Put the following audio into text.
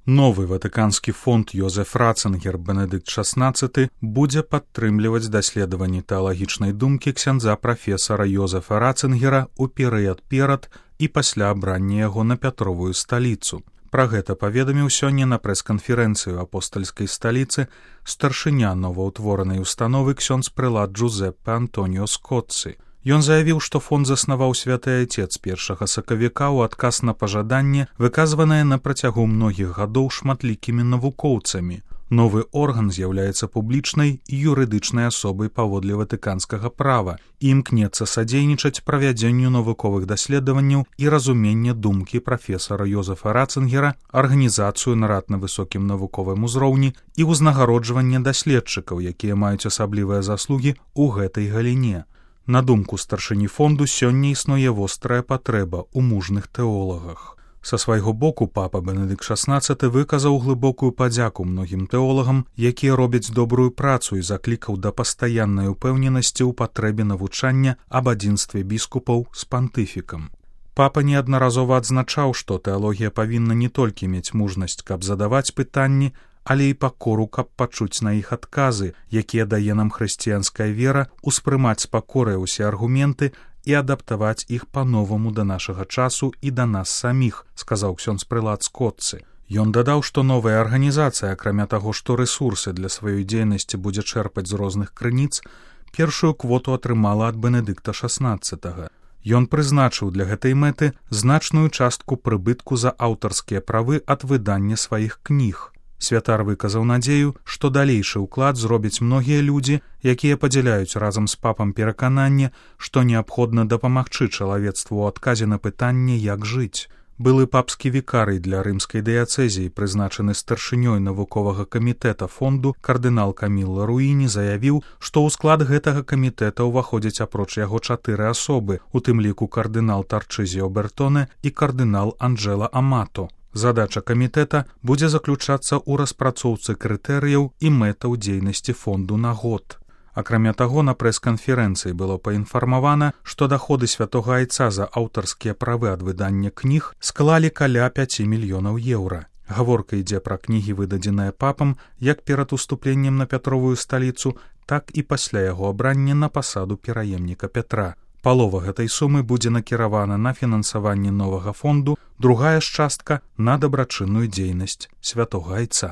Новы ватыканскі фонд Йозеф Ратцингер Бенедыкт XVI будзе падтрымліваць даследаванні тэалагічнай думкі ксяндза прафесара Йозефа Ратцингера ў перыяд перад і пасля абрання яго на Пятровую сталіцу. Пра гэта паведаміў сёння на прэс-канферэнцыю апостальскай сталіцы старшыня новаўтворанай установы ксёндз прэлат Джузеппе Антоніо Скотцы. Ён заявіў, што фонд заснаваў святы айцец 1 сакавіка ў адказ на пажаданне, выказванае на працягу многіх гадоў шматлікімі навукоўцамі. Новы орган з'яўляецца публічнай і юрыдычнай асобай паводле ватыканскага права і імкнецца садзейнічаць правядзенню навуковых даследаванняў і разумення думкі прафесара Йозефа Ратцингера, арганізацыю нарад на высокім навуковым узроўні і ўзнагароджванне даследчыкаў, якія маюць асаблівыя заслугі ў гэтай галіне. На думку старшыні фонду, сёння існуе вострая патрэба ў мужных тэолагах. Са свайго боку папа Бенедыкт XVI выказаў глыбокую падзяку многім тэолагам, якія робяць добрую працу і заклікаў да пастаяннай упэўненасці ў патрэбе навучання аб адзінстве біскупаў з пантыфікам. Папа неаднаразова адзначаў, што тэалогія павінна не толькі мець мужнасць, каб задаваць пытанні, але і пакору, каб пачуць на іх адказы, якія дае нам хрысціянская вера, успрымаць з пакорай усе аргументы і адаптаваць іх па-новаму да нашага часу і да нас саміх, сказаў ксёндз прэлат Скотцы. Ён дадаў, што новая арганізацыя, акрамя таго, што рэсурсы для сваёй дзейнасці будзе чэрпаць з розных крыніц, першую квоту атрымала ад Бенедыкта XVI. Ён прызначыў для гэтай мэты значную частку прыбытку за аўтарскія правы ад выдання сваіх кніг. Святар выказаў надзею, што далейшы ўклад зробяць многія людзі, якія падзяляюць разам з папам перакананне, што неабходна дапамагчы чалавецтву ў адказе на пытанне, як жыць. Былы папскі вікарый для рымскай дыяцэзіі, прызначаны старшынёй навуковага камітэта фонду, кардынал Камілла Руіні заявіў, што ў склад гэтага камітэта ўваходзяць апроч яго 4 асобы, у тым ліку кардынал Тарчызіо Бертоне і кардынал Анджэла Амато. Задача камітэта будзе заключацца ў распрацоўцы крытэрыяў і мэтаў дзейнасці фонду на год. Акрамя таго, на прэс-канферэнцыі было паінфармавана, што даходы святога айца за аўтарскія правы ад выдання кніг склалі каля 5 мільёнаў еўра. Гаворка ідзе пра кнігі, выдадзеныя папам як перад уступленнем на Пятровую сталіцу, так і пасля яго абрання на пасаду пераемніка Пятра. Палова гэтай сумы будзе накіравана на фінансаванне новага фонду, другая ж частка на дабрачынную дзейнасць святога айца.